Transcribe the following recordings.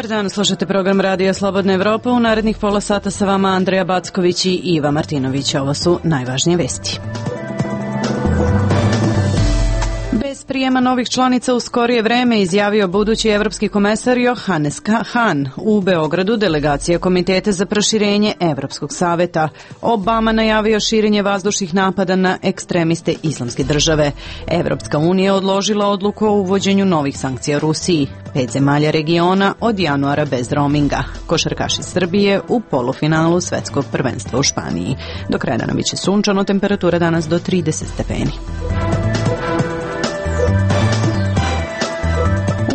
Dobar dan, slušate program Radija Slobodna Evropa. U narednih pola sata sa vama Andreja Backović i Iva Martinović. Ovo su najvažnije vesti. Bez prijema novih članica u skorije vreme, izjavio budući evropski komesar Johannes Hahn. U Beogradu delegacija Komiteta za proširenje Evropskog saveta. Obama najavio širenje vazdušnih napada na ekstremiste Islamske države. Evropska unija odložila odluku o uvođenju novih sankcija Rusiji. 5 zemalja regiona od januara bez roaminga. Košarkaši Srbije u polufinalu svetskog prvenstva u Španiji. Do kraja dana biće sunčano, temperatura danas do 30 stepeni.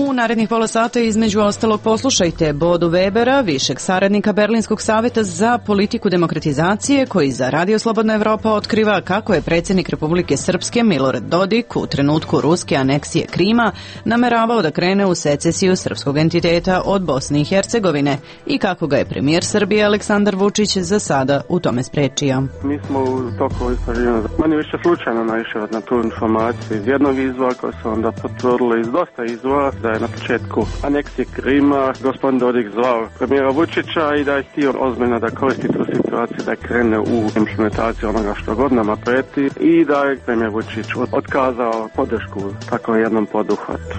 U narednih pola sata između ostalog poslušajte Bodu Webera, višeg saradnika Berlinskog saveta za politiku demokratizacije, koji za Radio Slobodna Evropa otkriva kako je predsjednik Republike Srpske Milorad Dodik u trenutku ruske aneksije Krima nameravao da krene u secesiju srpskog entiteta od Bosne i Hercegovine i kako ga je premijer Srbije Aleksandar Vučić za sada u tome sprečio. Mi smo u toku istraživanja manje više slučajno naišli na tu informaciju iz jednog izvora koja se onda potvrdila iz dosta izvora da je na početku aneksije Krima gospodin Dodik zvao premijera Vučića i da je htio ozbiljno da koristi tu situaciju da krene u implementaciju onoga što godinama preti i da je premijer Vučić otkazao podršku tako jednom poduhvatu.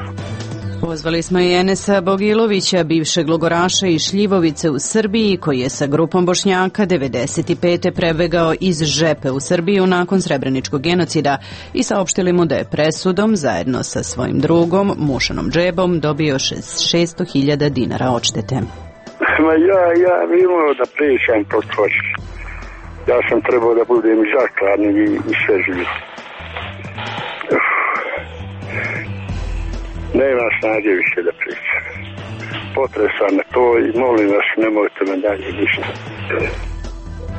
Pozvali smo i Enesa Bogilovića, bivšeg logoraša iz Šljivovice u Srbiji, koji je sa grupom Bošnjaka 95. prebegao iz Žepe u Srbiju nakon Srebreničkog genocida i saopštili mu da je presudom, zajedno sa svojim drugom, Mušanom Džebom, dobio 600.000 dinara odštete. Ja ne imao da pričam to točno. Ja sam trebao da budem zakladni i sve živi. Nema snage više da pričam. Potresam me to i molim vas, nemojte me dalje ništa.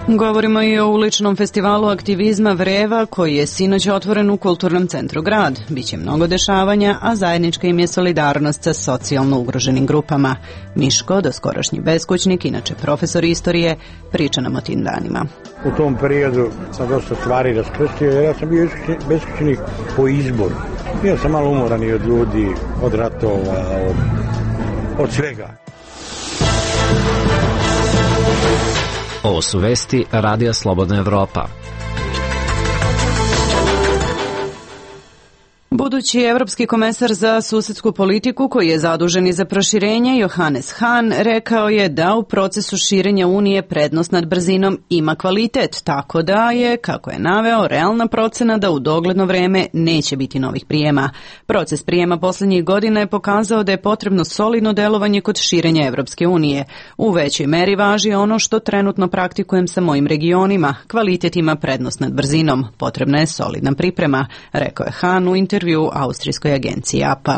Govorimo i o uličnom festivalu aktivizma Vreva, koji je sinoć otvoren u Kulturnom centru Grad. Biće mnogo dešavanja, a zajednička im je solidarnost sa socijalno ugroženim grupama. Miško, doskorašnji beskućnik, inače profesor istorije, priča nam o tim danima. U tom periodu sam dosta stvari raskrstio, jer ja sam bio beskućnik po izboru. Bio sam malo umoran i od ljudi, od ratova, od svega. Ovo su vesti Radija Slobodna Evropa. Budući evropski komesar za susedsku politiku, koji je zadužen i za proširenje, Johannes Hahn, rekao je da u procesu širenja Unije prednost nad brzinom ima kvalitet, tako da je, kako je naveo, realna procena da u dogledno vreme neće biti novih prijema. Proces prijema posljednjih godina je pokazao da je potrebno solidno delovanje kod širenja Evropske unije. U većoj meri važi ono što trenutno praktikujem sa mojim regionima. Kvalitet ima prednost nad brzinom. Potrebna je solidna priprema, rekao je Hahn u intervju austrijskoj agenciji APA.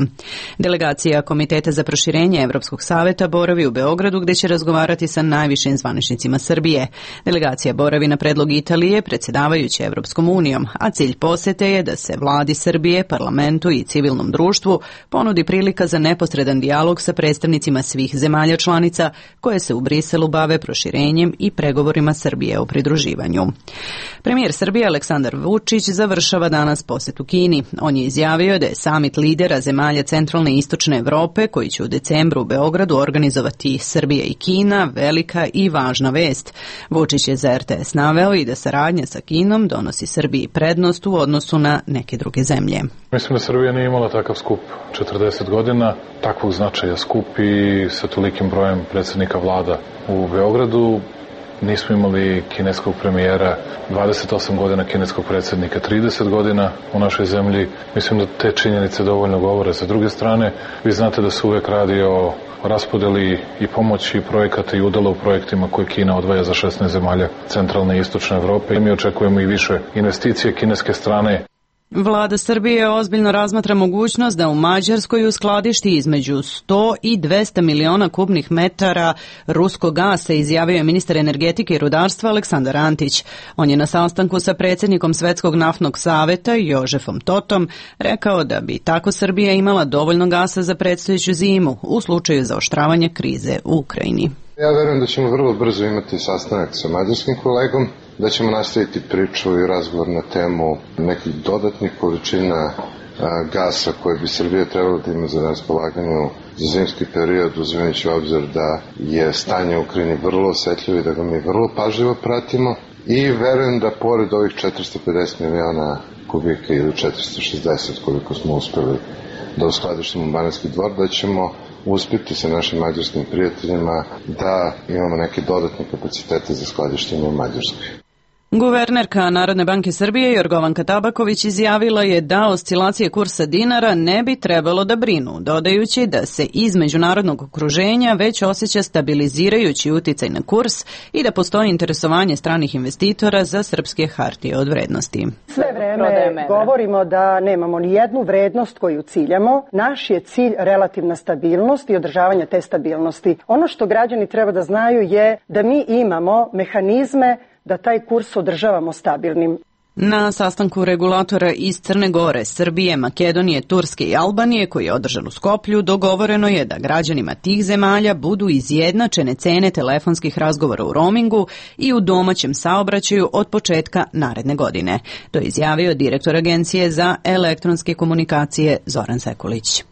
Delegacija Komiteta za proširenje Evropskog saveta boravi u Beogradu, gdje će razgovarati sa najvišim zvaničnicima Srbije. Delegacija boravi na predlog Italije, predsjedavajuće Evropskom unijom, a cilj posete je da se vladi Srbije, parlamentu i civilnom društvu ponudi prilika za neposredan dijalog sa predstavnicima svih zemalja članica koje se u Briselu bave proširenjem i pregovorima Srbije o pridruživanju. Premijer Srbije Aleksandar Vučić završava danas posjet u Kini. On je izjavio da je samit lidera zemalja centralne i istočne Evrope, koji će u decembru u Beogradu organizovati Srbija i Kina, velika i važna vest. Vučić je za RTS naveo i da saradnja sa Kinom donosi Srbiji prednost u odnosu na neke druge zemlje. Mislim da Srbija nije imala takav skup 40 godina, takvog značaja skup i sa tolikim brojem predsjednika vlada u Beogradu. Nismo imali kineskog premijera, 28 godina kineskog predsjednika, 30 godina u našoj zemlji. Mislim da te činjenice dovoljno govore. Sa druge strane, vi znate da se uvek radi o raspodeli i pomoći projekata i udela u projektima koje Kina odvaja za 16 zemalja centralne i istočne Evrope. I mi očekujemo i više investicije kineske strane. Vlada Srbije ozbiljno razmatra mogućnost da u Mađarskoj uskladišti između 100 i 200 miliona kubnih metara ruskog gasa, izjavio je ministar energetike i rudarstva Aleksandar Antić. On je na sastanku sa predsjednikom Svetskog naftnog saveta Jožefom Totom rekao da bi tako Srbija imala dovoljno gasa za predstojeću zimu u slučaju zaoštravanja krize u Ukrajini. Ja verujem da ćemo vrlo brzo imati sastanak sa mađarskim kolegom, da ćemo nastaviti priču i razgovor na temu nekih dodatnih količina gasa koje bi Srbija trebala da ima za raspolaganju za zimski period, uzimajući u obzir da je stanje u Ukrajini vrlo osetljivo i da ga mi vrlo pažljivo pratimo. I verujem da pored ovih 450 miliona kubika ili 460 koliko smo uspeli da uskladištimo Banatski Dvor, da ćemo uspjeti sa našim mađarskim prijateljima da imamo neke dodatne kapacitete za skladištenje u Mađarskoj. Guvernerka Narodne banke Srbije Jorgovanka Tabaković izjavila je da oscilacije kursa dinara ne bi trebalo da brinu, dodajući da se iz međunarodnog okruženja već osjeća stabilizirajući uticaj na kurs i da postoji interesovanje stranih investitora za srpske hartije od vrednosti. Sve vreme govorimo da nemamo ni jednu vrednost koju ciljamo. Naš je cilj relativna stabilnost i održavanje te stabilnosti. Ono što građani treba da znaju je da mi imamo mehanizme da taj kurs održavamo stabilnim. Na sastanku regulatora iz Crne Gore, Srbije, Makedonije, Turske i Albanije, koji je održan u Skoplju, dogovoreno je da građanima tih zemalja budu izjednačene cene telefonskih razgovora u roamingu i u domaćem saobraćaju od početka naredne godine. To je izjavio direktor Agencije za elektronske komunikacije Zoran Sekulić.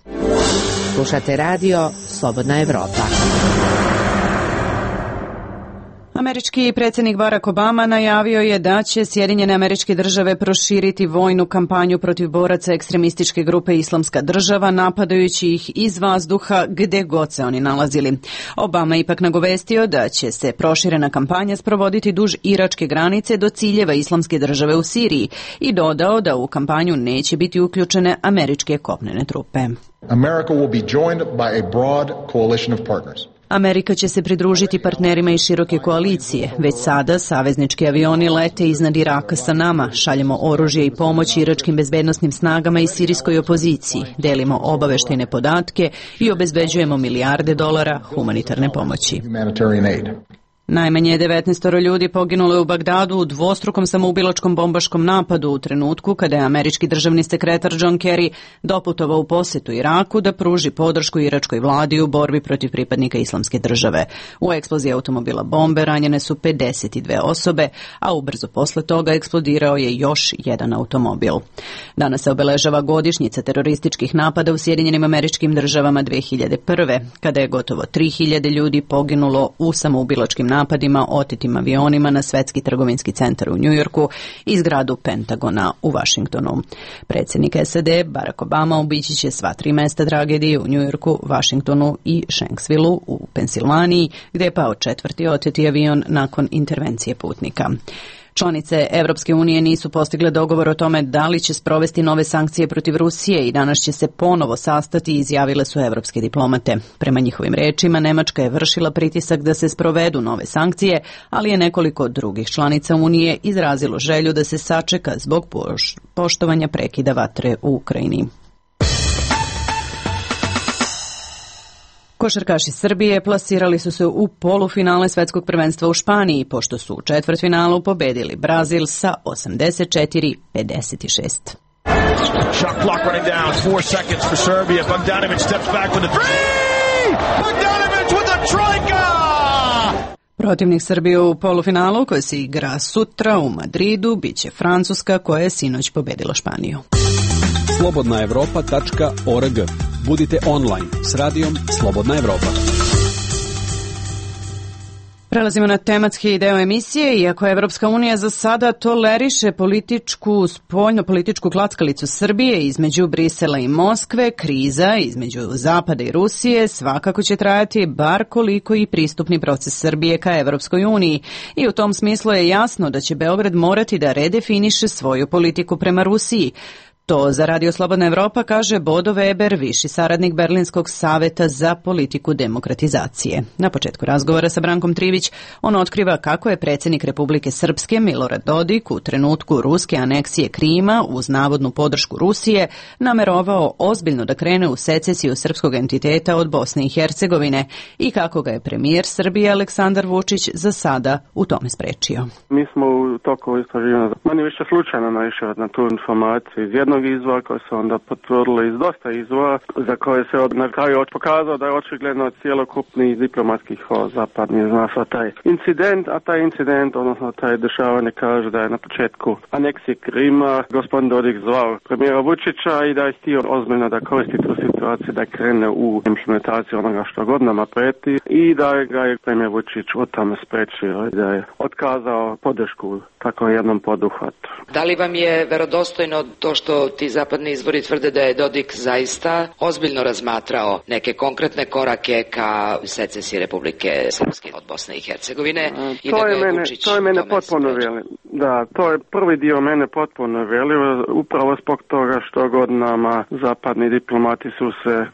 Slušate radio Slobodna Evropa. Američki predsjednik Barack Obama najavio je da će Sjedinjene Američke Države proširiti vojnu kampanju protiv boraca ekstremističke grupe Islamska država, napadajući ih iz vazduha gde god se oni nalazili. Obama ipak nagovestio da će se proširena kampanja sprovoditi duž iračke granice do ciljeva Islamske države u Siriji i dodao da u kampanju neće biti uključene američke kopnene trupe. America will be joined by a broad coalition of partners. Amerika će se pridružiti partnerima iz široke koalicije. Već sada saveznički avioni lete iznad Iraka sa nama, šaljemo oružje i pomoć iračkim bezbednosnim snagama i sirijskoj opoziciji, delimo obaveštajne podatke i obezbeđujemo milijarde dolara humanitarne pomoći. Najmanje 19 ljudi poginulo je u Bagdadu u dvostrukom samoubilačkom bombaškom napadu u trenutku kada je američki državni sekretar John Kerry doputovao u posetu Iraku da pruži podršku iračkoj vladi u borbi protiv pripadnika Islamske države. U eksploziji automobila bombe ranjene su 52 osobe, a ubrzo posle toga eksplodirao je još jedan automobil. Danas se obeležava godišnjica terorističkih napada u Sjedinjenim Američkim Državama 2001. kada je gotovo 3000 ljudi poginulo u samoubilačkim napadima otetim avionima na Svetski trgovinski centar u Njujorku i zgradu Pentagona u Vašingtonu. Predsjednik SAD Barack Obama obići će sva 3 mesta tragedije u Njujorku, Vašingtonu i Shanksvillu u Pensilvaniji, gdje je pao 4. oteti avion nakon intervencije putnika. Članice Evropske unije nisu postigle dogovor o tome da li će sprovesti nove sankcije protiv Rusije i danas će se ponovo sastati, izjavile su evropske diplomate. Prema njihovim rečima, Nemačka je vršila pritisak da se sprovedu nove sankcije, ali je nekoliko drugih članica Unije izrazilo želju da se sačeka zbog poštovanja prekida vatre u Ukrajini. Košarkaši Srbije plasirali su se u polufinale svetskog prvenstva u Španiji, pošto su u četvrtfinalu pobedili Brazil sa 84-56. Shot clock running down, 4 seconds for Serbia. Bogdanović steps back with a three! Bogdanović with a trojka! Protivnik Srbije u polufinalu, koji se igra sutra u Madridu, biće Francuska, koja je sinoć pobedila Španiju. slobodnaevropa.org. Budite online s radijom Slobodna Evropa. Prelazimo na tematski deo emisije. Iako Evropska unija za sada toleriše spoljno-političku klackalicu Srbije između Brisela i Moskve, kriza između Zapada i Rusije svakako će trajati bar koliko i pristupni proces Srbije ka Evropskoj uniji. I u tom smislu je jasno da će Beograd morati da redefiniše svoju politiku prema Rusiji. To za Radio Slobodna Evropa kaže Bodo Weber, viši saradnik Berlinskog saveta za politiku demokratizacije. Na početku razgovora sa Brankom Trivić on otkriva kako je predsjednik Republike Srpske Milorad Dodik u trenutku ruske aneksije Krima uz navodnu podršku Rusije namerovao ozbiljno da krene u secesiju srpskog entiteta od Bosne i Hercegovine i kako ga je premijer Srbije Aleksandar Vučić za sada u tome sprečio. Mi smo u toku istraživanja manje više slučajno naišli na tu informaciju iz jednog jednog izvora koji su onda potvrdili iz dosta izvora za koje se na kraju pokazao da je očigledno cjelokupni diplomatski zapadni zna za taj incident, a taj incident, odnosno taj dešavanje kaže da je na početku aneksije Krima gospodin Dodik zvao premijera Vučića i da je htio ozbiljno da koristi tu situaciju da krene u implementaciju onoga što godinama preti i da ga je premijer Vučić o tome sprečio i da je otkazao podršku tako jednom poduhvatu. Da li vam je verodostojno to što ti zapadni izvori tvrde da je Dodik zaista ozbiljno razmatrao neke konkretne korake ka secesiji Republike Srpske od Bosne i Hercegovine i da ga je Vučić to je mene potpuno veli. Da, to je prvi dio mene potpuno velio, upravo zbog toga što godinama zapadni diplomati su se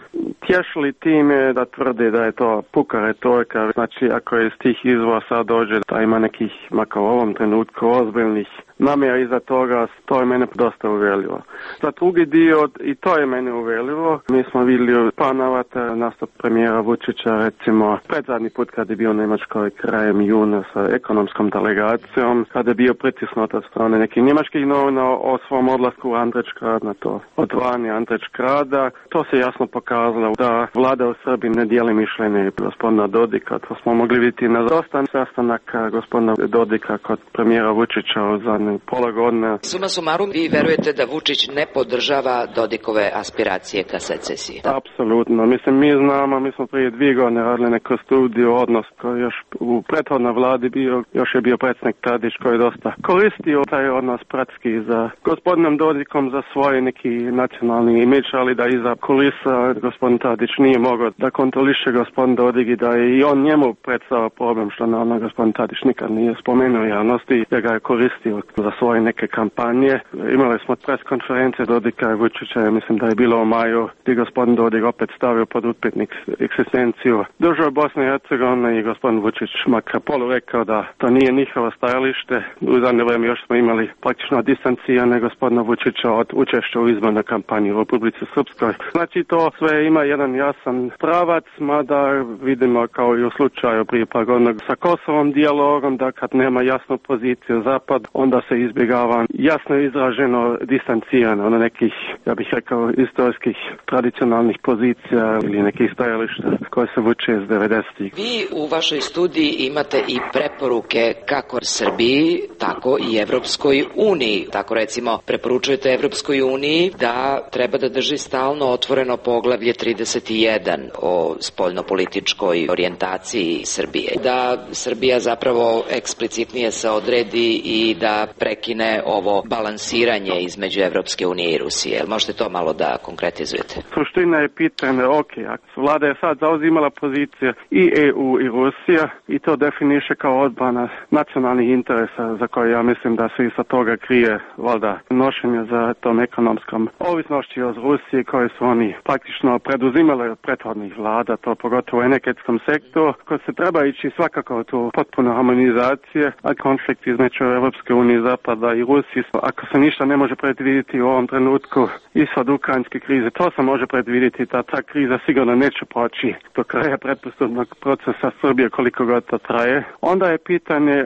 tješili time da tvrde da je to puka retorika. Znači, ako je iz tih izvora sad dođe da ima nekih, makar u ovom trenutku, ozbiljnih namjera iza toga, to je mene dosta uvelivo. Za drugi dio, i to je mene uvelivo, mi smo vidjeli panavata nastup premijera Vučića, recimo, predzadnji put kad je bio u Njemačkoj krajem juna sa ekonomskom delegacijom, kada je bio pritisnut od strane nekih njemačkih novina o svom odlasku u Andrićgrad na to odvanje Andrićgrada. To se jasno pokazalo da vlada u Srbiji ne dijeli mišljenje gospodina Dodika. To smo mogli vidjeti na dosta sastanaka gospodina Dodika kod premijera Vučića u zadnje pola godine. Suma sumarum, vi verujete da Vučić ne podržava Dodikove aspiracije ka secesiji? Apsolutno. Mislim, mi znamo, mi smo prije 2 godine radili neku studiju odnos koji još u prethodnoj vladi bio, još je bio predsjednik Tadić koji je dosta koristio taj odnos pratski za gospodinom Dodikom za svoj neki nacionalni imidž, ali da iza kulisa gospodin Tadić nije mogao da kontroliše gospodin Dodik i da je i on njemu predstavio problem što na gospodin Tadić nikad nije spomenuo javnosti, da ga je koristio za svoje neke kampanje. Imali smo pres konferencije Dodika i Vučića, mislim da je bilo u maju, gdje gospodin Dodik opet stavio pod upitnik egzistenciju države Bosne i Hercegovine i gospodin Vučić makar polu rekao da to nije njihovo stajalište. U zadnje vrijeme još smo imali praktično distancirane gospodina Vučića od učešća u izbornoj kampanji u Republici Srpskoj. Znači to sve ima jedan jasan pravac, mada vidimo kao i u slučaju prije par godina sa Kosovom dijalogom, da kad nema jasnu poziciju Zapad, onda se izbjegava jasno izraženo distancirano na nekih, ja bih rekao, istorijskih tradicionalnih pozicija ili nekih stajališta koje se vuče iz 90-ih. Vi u vašoj studiji imate i preporuke kako Srbiji, tako i Evropskoj uniji. Tako recimo preporučujete Evropskoj uniji da treba da drži stalno otvoreno poglavlje 31 o spoljnopolitičkoj orijentaciji Srbije. Da Srbija zapravo eksplicitnije se odredi i da prekine ovo balansiranje između Evropske unije i Rusije. Možete to malo da konkretizujete? Suština je pitanje, vlada je sad zauzimala pozicije i EU i Rusija i to definiše kao odbrana nacionalnih interesa za koje ja mislim da se i sa toga krije valjda nošenje za tom ekonomskom ovisnošću od Rusije koje su oni praktično preduzimali od prethodnih vlada, to pogotovo u energetskom sektoru, koji se treba ići svakako tu potpuno harmonizacije, a konflikt između Evropske unije, Zapada i Rusije, ako se ništa ne može predvidjeti u ovom trenutku ishod ukrajinske krize, to se može predvidjeti da ta kriza sigurno neće proći do kraja pretpristupnog procesa Srbije koliko god to traje. Onda je pitanje,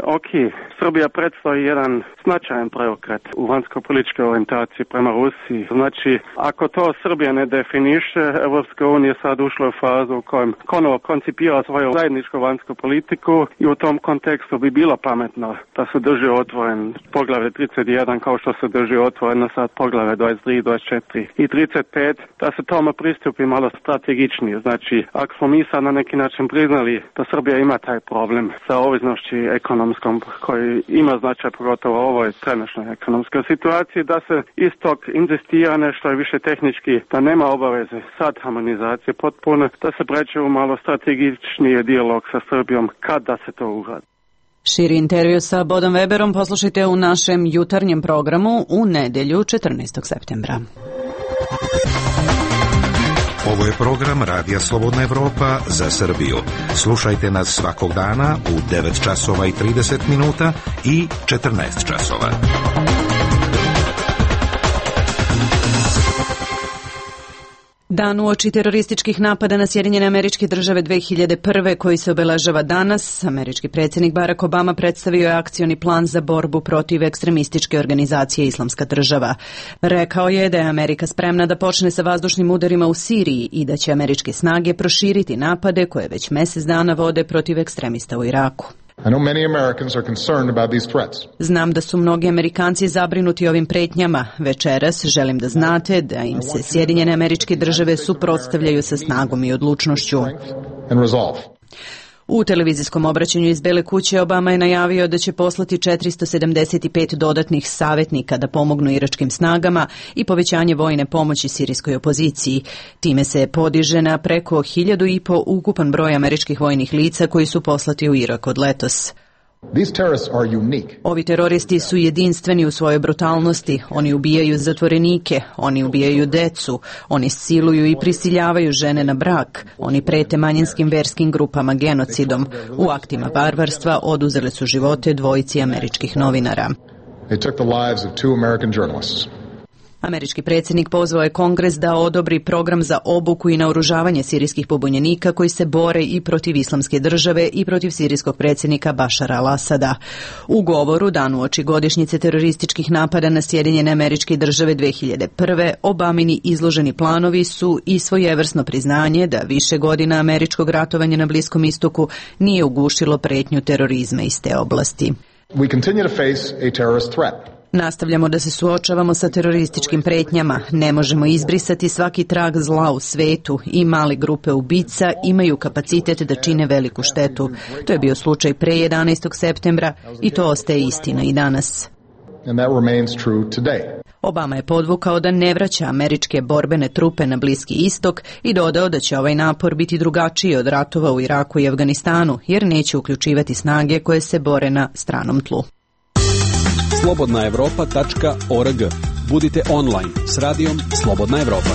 Srbija predstavlja jedan značajan preokret u vanjsko-političkoj orijentaciji prema Rusiji. Znači, ako to Srbija ne definiše, Evropska unija sad ušla u fazu u kojem ponovo koncipira svoju zajedničku vanjsku politiku i u tom kontekstu bi bilo pametno da se drži otvoren poglavlje 31 kao što se drži otvoreno sad poglavlje 23, 24 i 35, da se tome pristupi malo strategičnije. Znači, ako smo mi sad na neki način priznali da Srbija ima taj problem sa ovisnošću ekonomskom koji ima značaj pogotovo u ovoj trenutnoj ekonomskoj situaciji, da se istog inzistira nešto je više tehnički, da nema obaveze sad harmonizacije potpuno, da se pređe u malo strategičniji dijalog sa Srbijom kad da se to uradi. Širi intervju sa Bodom Weberom poslušajte u našem jutarnjem programu u nedjelju 14. septembra. Ovo je program Radija Slobodna Evropa za Srbiju. Slušajte nas svakog dana u 9 časova i 30 minuta i 14 časova. Dan uoči terorističkih napada na Sjedinjene Američke Države 2001. koji se obeležava danas, američki predsjednik Barack Obama predstavio je akcioni plan za borbu protiv ekstremističke organizacije Islamska država. Rekao je da je Amerika spremna da počne sa vazdušnim udarima u Siriji i da će američke snage proširiti napade koje već mjesec dana vode protiv ekstremista u Iraku. Znam da su mnogi Amerikanci zabrinuti ovim pretnjama. Večeras želim da znate da im se Sjedinjene Američke Države suprotstavljaju sa snagom i odlučnošću. U televizijskom obraćanju iz Bele kuće Obama je najavio da će poslati 475 dodatnih savjetnika da pomognu iračkim snagama i povećanje vojne pomoći sirijskoj opoziciji. Time se podiže na preko 1.500 ukupan broj američkih vojnih lica koji su poslati u Irak od letos. Ovi teroristi su jedinstveni u svojoj brutalnosti. Oni ubijaju zatvorenike, oni ubijaju decu, oni siluju i prisiljavaju žene na brak, oni prete manjinskim verskim grupama genocidom. U aktima barbarstva oduzeli su živote dvojici američkih novinara. Američki predsjednik pozvao je Kongres da odobri program za obuku i naoružavanje sirijskih pobunjenika koji se bore i protiv Islamske države i protiv sirijskog predsjednika Bašara al-Asada. U govoru dan uoči godišnjice terorističkih napada na Sjedinjene Američke Države 2001. Obamini izloženi planovi su i svojevrsno priznanje da više godina američkog ratovanja na Bliskom istoku nije ugušilo pretnju terorizma iz te oblasti. Nastavljamo da se suočavamo sa terorističkim pretnjama. Ne možemo izbrisati svaki trag zla u svetu i male grupe ubica imaju kapacitet da čine veliku štetu. To je bio slučaj pre 11. septembra i to ostaje istina i danas. Obama je podvukao da ne vraća američke borbene trupe na Bliski istok i dodao da će ovaj napor biti drugačiji od ratova u Iraku i Afganistanu, jer neće uključivati snage koje se bore na stranom tlu. slobodnaevropa.org. Budite online s radijom Slobodna Evropa.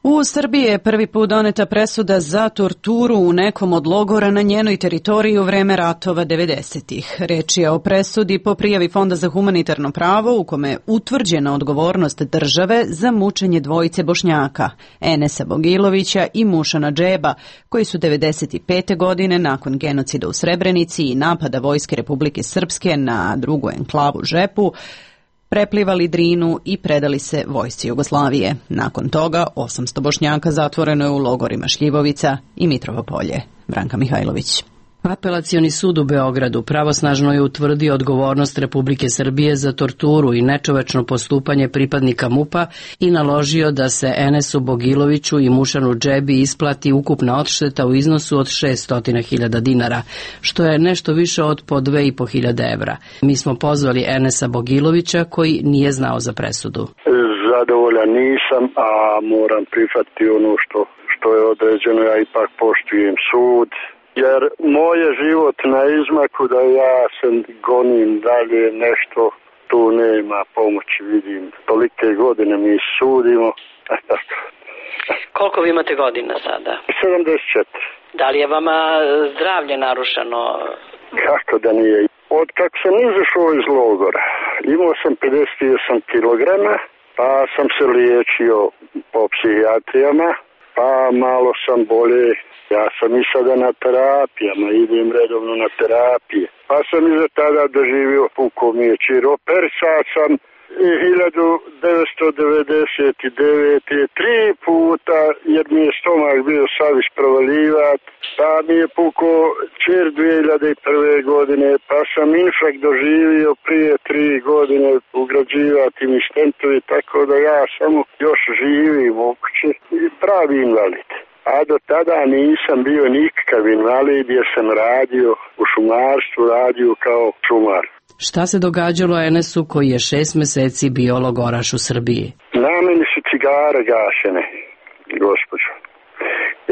U Srbiji je prvi put doneta presuda za torturu u nekom od logora na njenoj teritoriji u vreme ratova 90-ih. Reč je o presudi po prijavi Fonda za humanitarno pravo u kome je utvrđena odgovornost države za mučenje dvojice Bošnjaka, Enesa Bogilovića i Mušana Džeba, koji su 95. godine nakon genocida u Srebrenici i napada Vojske Republike Srpske na drugu enklavu Žepu preplivali Drinu i predali se vojsci Jugoslavije. Nakon toga 800 Bošnjaka zatvoreno je u logorima Šljivovica i Mitrovo Polje. Branka Mihajlović. Apelacioni sud u Beogradu pravosnažno je utvrdio odgovornost Republike Srbije za torturu i nečovečno postupanje pripadnika MUP-a i naložio da se Enesu Bogiloviću i Mušanu Džebi isplati ukupna odšteta u iznosu od 600.000 dinara, što je nešto više od po 2.500 evra. Mi smo pozvali Enesa Bogilovića koji nije znao za presudu. Zadovoljan nisam, a moram prihvatiti ono što je određeno, ja ipak poštujem sud. Jer moj je život na izmaku da ja se gonim dalje nešto, tu nema pomoći, vidim. Tolike godine mi sudimo. Koliko vi imate godina sada? 74. Da li je vama zdravlje narušeno? Kako da nije? Od kako sam izašao iz logora, imao sam 58 kilograma, pa sam se liječio po psihijatrijama, pa malo sam bolje. Ja sam i sada na terapijama, idem redovno na terapije. Pa sam iza tada doživio puko mi je čiro. Persao sam 1999. 3 puta, jer mi je stomak bio savis provalivat. Pa mi je puko čir 2001. godine, pa sam infrakt doživio prije 3 godine ugrađivati mi stentovi, tako da ja samo još živim u kući i pravi invalid. A do tada nisam bio nikakav invalid jer sam radio u šumarstvu, radio kao šumar. Šta se događalo Enesu koji je 6 meseci bio logoraš u Srbiji? Na meni su cigare gašene, gospođo.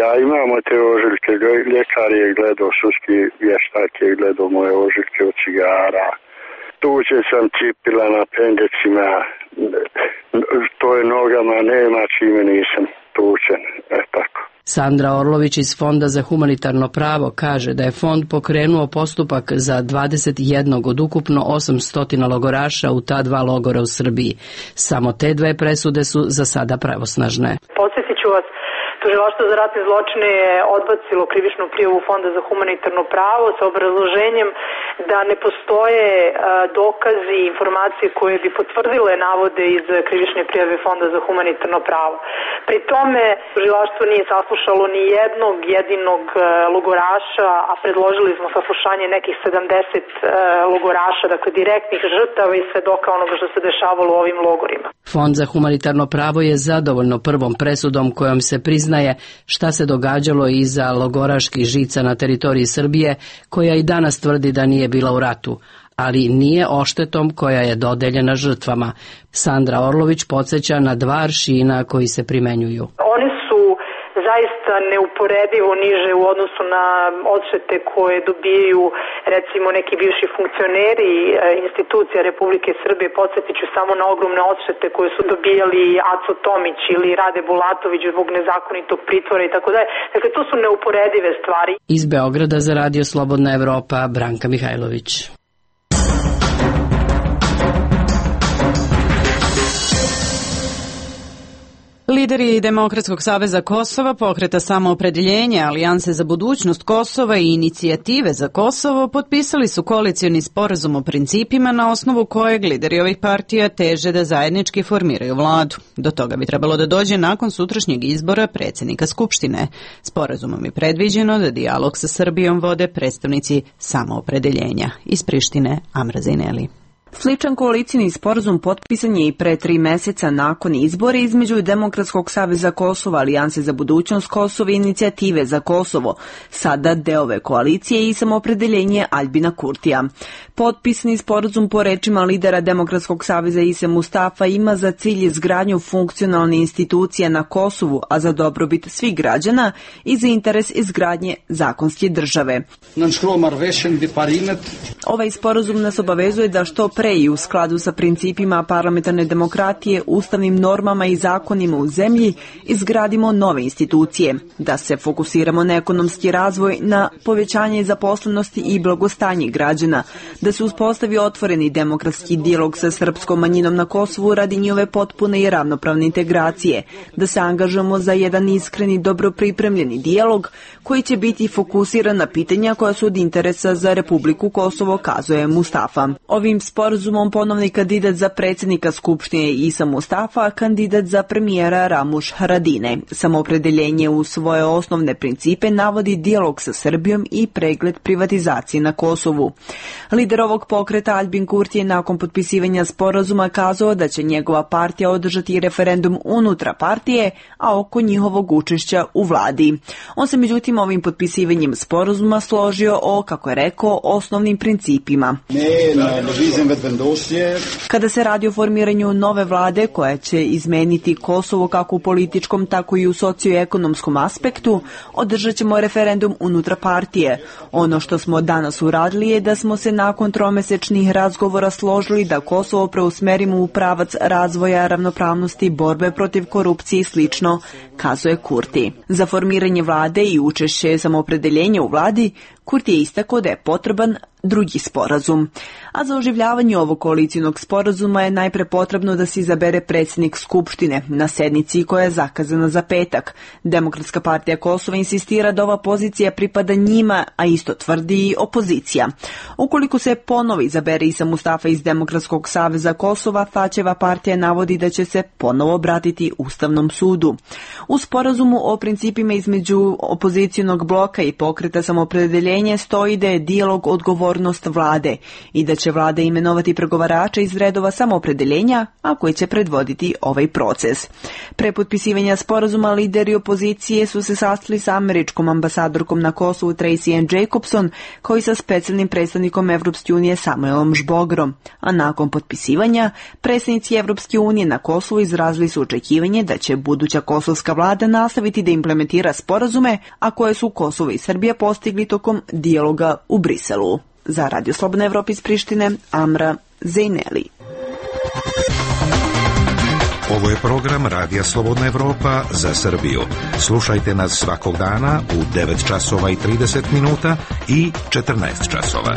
Ja imam te ožiljke, ljekar je gledao, sudski vještak je gledao moje ožiljke od cigara. Tuđen sam cipila na pendecima, to je nogama, nema čime nisam tučen, tako. Sandra Orlović iz Fonda za humanitarno pravo kaže da je fond pokrenuo postupak za 21 od ukupno 800 logoraša u ta 2 logora u Srbiji. Samo te 2 presude su za sada pravosnažne. Podsjetit ću vas, Tužilaštvo za ratne zločine je odbacilo krivičnu prijavu Fonda za humanitarno pravo sa obrazloženjem da ne postoje dokazi i informacije koje bi potvrdile navode iz krivične prijave Fonda za humanitarno pravo. Pri tome tužilaštvo nije saslušalo ni jednog jedinog logoraša, a predložili smo saslušanje nekih 70 logoraša, dakle direktnih žrtava i svedoka onoga što se dešavalo u ovim logorima. Fond za humanitarno pravo je zadovoljno prvom presudom kojom se priznaje šta se događalo iza logoraških žica na teritoriji Srbije, koja i danas tvrdi da nije bila u ratu, ali nije oštetom koja je dodeljena žrtvama. Sandra Orlović podsjeća na 2 aršina koji se primenjuju. Oni su zaista neuporedivo niže u odnosu na odštete koje dobijaju recimo neki bivši funkcioneri institucija Republike Srbije. Podsjetit ću samo na ogromne odštete koje su dobijali Aco Tomić ili Rade Bulatović zbog nezakonitog pritvora i tako dalje. Dakle, to su neuporedive stvari. Iz Beograda za Radio Slobodna Evropa, Branka Mihajlović. Lideri Demokratskog saveza Kosova, Pokreta samoopredeljenja, Alijanse za budućnost Kosova i Inicijative za Kosovo potpisali su koalicioni sporazum o principima na osnovu kojeg lideri ovih partija teže da zajednički formiraju vladu. Do toga bi trebalo da dođe nakon sutrašnjeg izbora predsjednika Skupštine. Sporazumom je predviđeno da dijalog sa Srbijom vode predstavnici samoopredeljenja. Iz Prištine, Amra Zejneli. Sličan koalicijni sporazum potpisan je i pre 3 meseca nakon izbora između Demokratskog saveza Kosova, Alijanse za budućnost Kosova i Inicijative za Kosovo, sada deo ove koalicije i samoopredeljenje Aljbina Kurtija. Potpisani sporazum po rečima lidera Demokratskog saveza Ise Mustafa ima za cilj izgradnju funkcionalne institucije na Kosovu, a za dobrobit svih građana i za interes izgradnje zakonske države. Ovaj sporazum nas obavezuje da što pre i u skladu sa principima parlamentarne demokratije, ustavnim normama i zakonima u zemlji izgradimo nove institucije, da se fokusiramo na ekonomski razvoj, na povećanje zaposlenosti i blagostanje građana, da se uspostavi otvoreni demokratski dijalog sa srpskom manjinom na Kosovu radi njove potpune i ravnopravne integracije, da se angažujemo za jedan iskreni, dobro pripremljeni dijalog koji će biti fokusiran na pitanja koja su od interesa za Republiku Kosovo, kazuje Mustafa. Ovim sporazumom ponovni kandidat za predsjednika Skupštine Isa Mustafa, a kandidat za premijera Ramuš Haradine. Samoopredeljenje u svoje osnovne principe navodi dijalog sa Srbijom i pregled privatizacije na Kosovu. Lider ovog pokreta Aljbin Kurti je nakon potpisivanja sporazuma kazao da će njegova partija održati referendum unutra partije, a oko njihovog učešća u vladi. On se međutim ovim potpisivanjem sporazuma složio o, kako je rekao, osnovnim principima. Kada se radi o formiranju nove vlade koja će izmeniti Kosovo kako u političkom, tako i u socioekonomskom aspektu, održat ćemo referendum unutra partije. Ono što smo danas uradili je da smo se nakon 3-mesečnih razgovora složili da Kosovo preusmerimo u pravac razvoja, ravnopravnosti, borbe protiv korupcije i slično, kazuje Kurti. Za formiranje vlade i učešće samoopredeljenja u vladi, Kurti je istakao da je potreban drugi sporazum. A za oživljavanje ovog koalicijnog sporazuma je najpre potrebno da se izabere predsjednik Skupštine na sednici koja je zakazana za petak. Demokratska partija Kosova insistira da ova pozicija pripada njima, a isto tvrdi i opozicija. Ukoliko se ponovo izabere Isa Mustafa iz Demokratskog saveza Kosova, Tačeva partija navodi da će se ponovo obratiti Ustavnom sudu. U sporazumu o principima između opozicijonog bloka i pokreta samoopredeljenja stoji da je dijalog odgovornost vlade i da će vlada imenovati pregovarača iz redova samoopredeljenja, a koji će predvoditi ovaj proces. Pre potpisivanja sporazuma lideri opozicije su se sastali sa američkom ambasadorkom na Kosovu Tracy Ann Jacobson, kao i sa specijalnim predstavnikom Evropske unije Samuelom Žbogrom. A nakon potpisivanja, predstavnici Evropske unije na Kosovu izrazili su očekivanje da će buduća kosovska vlada nastaviti da implementira sporazume, a koje su Kosovo i Srbija postigli tokom dijaloga u Briselu. Za Radio Slobodna Evropa iz Prištine, Amra Zejneli. Ovo je program Radija Slobodna Evropa za Srbiju. Slušajte nas svakog dana u 9 časova i 30 minuta i 14 časova.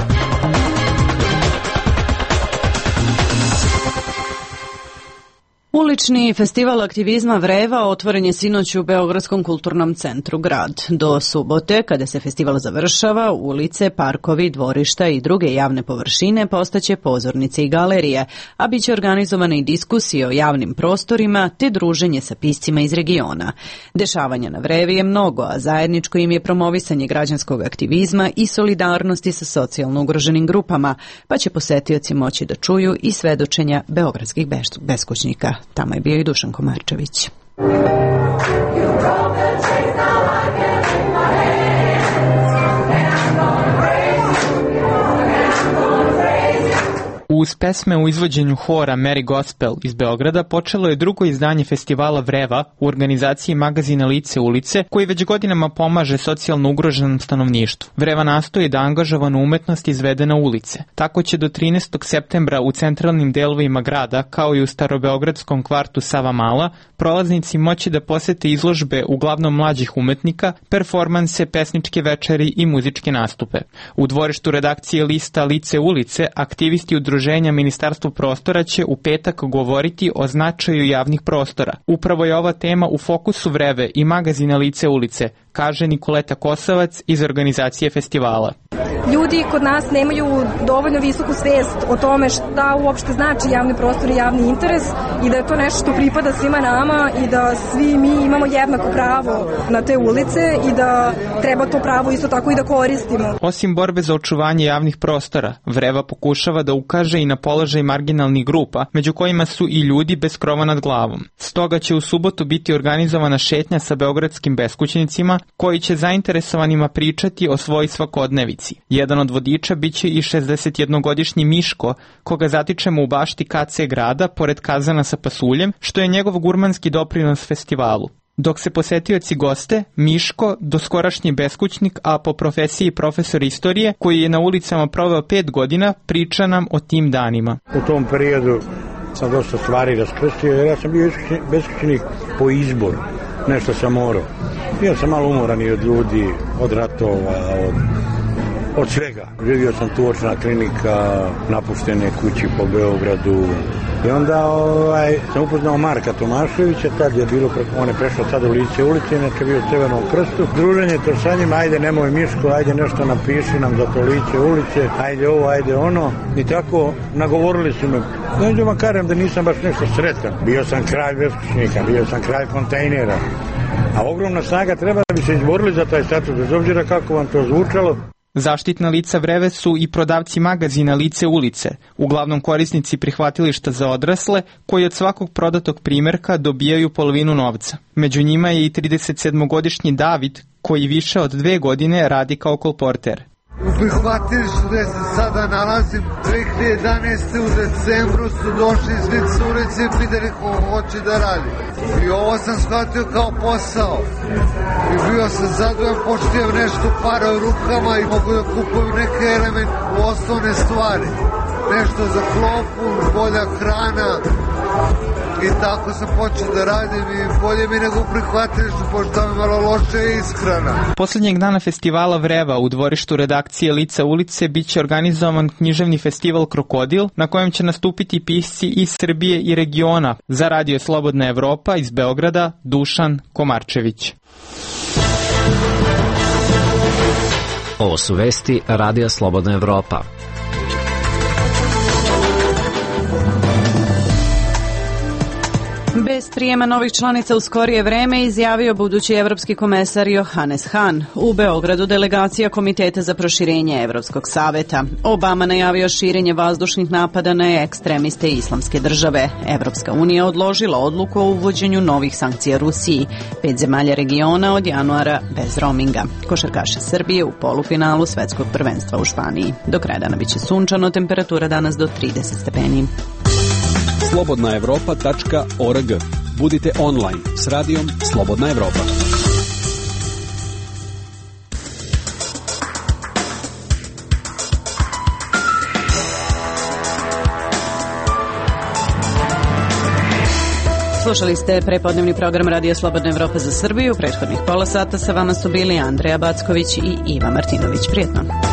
Ulični festival aktivizma Vreva otvoren je sinoć u Beogradskom kulturnom centru Grad. Do subote, kada se festival završava, ulice, parkovi, dvorišta i druge javne površine postaće pozornice i galerije, a bit će organizovane i diskusije o javnim prostorima te druženje sa piscima iz regiona. Dešavanja na Vrevi je mnogo, a zajedničko im je promovisanje građanskog aktivizma i solidarnosti sa socijalno ugroženim grupama, pa će posetioci moći da čuju i svedočenja beogradskih beskućnika. Tamo je bio i Dušan Komarčević. Uz pesme u izvođenju hora Merry Gospel iz Beograda počelo je drugo izdanje festivala Vreva u organizaciji magazina Lice ulice, koji već godinama pomaže socijalno ugroženom stanovništvu. Vreva nastoji da angažovanu umetnost izvede na ulice. Tako će do 13. septembra u centralnim delovima grada, kao i u starobeogradskom kvartu Savamala, prolaznici moći da posete izložbe uglavnom mlađih umetnika, performanse, pesničke večeri i muzičke nastupe. U dvorištu redakcije lista Lice ulice aktivisti udruženja Ministarstvo prostora će u petak govoriti o značaju javnih prostora. Upravo je ova tema u fokusu Vreve i magazina Lice ulice, kaže Nikoleta Kosovac iz organizacije festivala. Ljudi kod nas nemaju dovoljno visoku svest o tome šta uopšte znači javni prostor i javni interes i da je to nešto što pripada svima nama i da svi mi imamo jednako pravo na te ulice i da treba to pravo isto tako i da koristimo. Osim borbe za očuvanje javnih prostora, Vreva pokušava da ukaže i na položaj marginalnih grupa, među kojima su i ljudi bez krova nad glavom. Stoga će u subotu biti organizovana šetnja sa beogradskim beskućnicima koji će zainteresovanima pričati o svojoj svakodnevici. Jedan od vodiča biće i 61-godišnji Miško, koga zatičemo u bašti KC grada, pored kazana sa pasuljem, što je njegov gurmanski doprinos festivalu. Dok se posetioci goste, Miško, doskorašnji beskućnik, a po profesiji profesor istorije, koji je na ulicama proveo 5 godina, priča nam o tim danima. U tom periodu sam dosta stvari raskrstio, jer ja sam bio beskućnik po izboru. Nešto sam morao. Bio sam malo umoran i od ljudi, od ratova, od svega. Živio sam tuočna klinika, napuštene kući po Beogradu. I onda sam upoznao Marka Tomaševića, tad je bilo, on je prešao sad u Lice ulice, inače bio u Crvenom krstu. Druženje to sa njima, ajde nemoj Miško, ajde nešto napiši nam za to Lice ulice, ajde ovo, ajde ono. I tako nagovorili su me. Neđu vam kažem da nisam baš nešto sretan. Bio sam kralj beskućnika, bio sam kralj kontejnera. A ogromna snaga treba da bi se izborili za taj status, bez obzira kako vam to zvučalo. Zaštitna lica Vreve su i prodavci magazina Lice ulice, uglavnom korisnici prihvatilišta za odrasle, koji od svakog prodatog primjerka dobijaju polovinu novca. Među njima je i 37-godišnji David, koji više od 2 godine radi kao kolporter. U prihvatilištu gde se sada nalazim, 2011. u decembru su došli svi curice i pitali ko hoće da radi. I ovo sam shvatio kao posao. I bio sam zadovoljan, pošto nešto para u rukama i mogu da kupujem neke osnovne stvari. Nešto za klopu, bolja hrana. I tako sam počeo da radim i bolje mi nego prihvatilištu, pošto tam je malo loše ishrana. Poslednjeg dana festivala Vreva u dvorištu redakcije Lica ulice biće organizovan književni festival Krokodil, na kojem će nastupiti pisci iz Srbije i regiona. Za Radio Slobodna Evropa iz Beograda, Dušan Komarčević. Ovo su vesti Radija Slobodna Evropa. Bez prijema novih članica u skorije vreme izjavio budući evropski komesar Johannes Hahn. U Beogradu delegacija Komiteta za proširenje Evropskog saveta. Obama najavio širenje vazdušnih napada na ekstremiste Islamske države. Evropska unija odložila odluku o uvođenju novih sankcija Rusiji. 5 zemalja regiona od januara bez roaminga. Košarkaši Srbije u polufinalu svetskog prvenstva u Španiji. Do kraja dana biće sunčano, temperatura danas do 30 stepeni. slobodnaevropa.org. Budite online s radijom Slobodna Evropa. Slušali ste prepodnevni program Radija Slobodna Evropa za Srbiju. Prethodnih pola sata sa vama su bili Andreja Backović i Iva Martinović. Prijetno.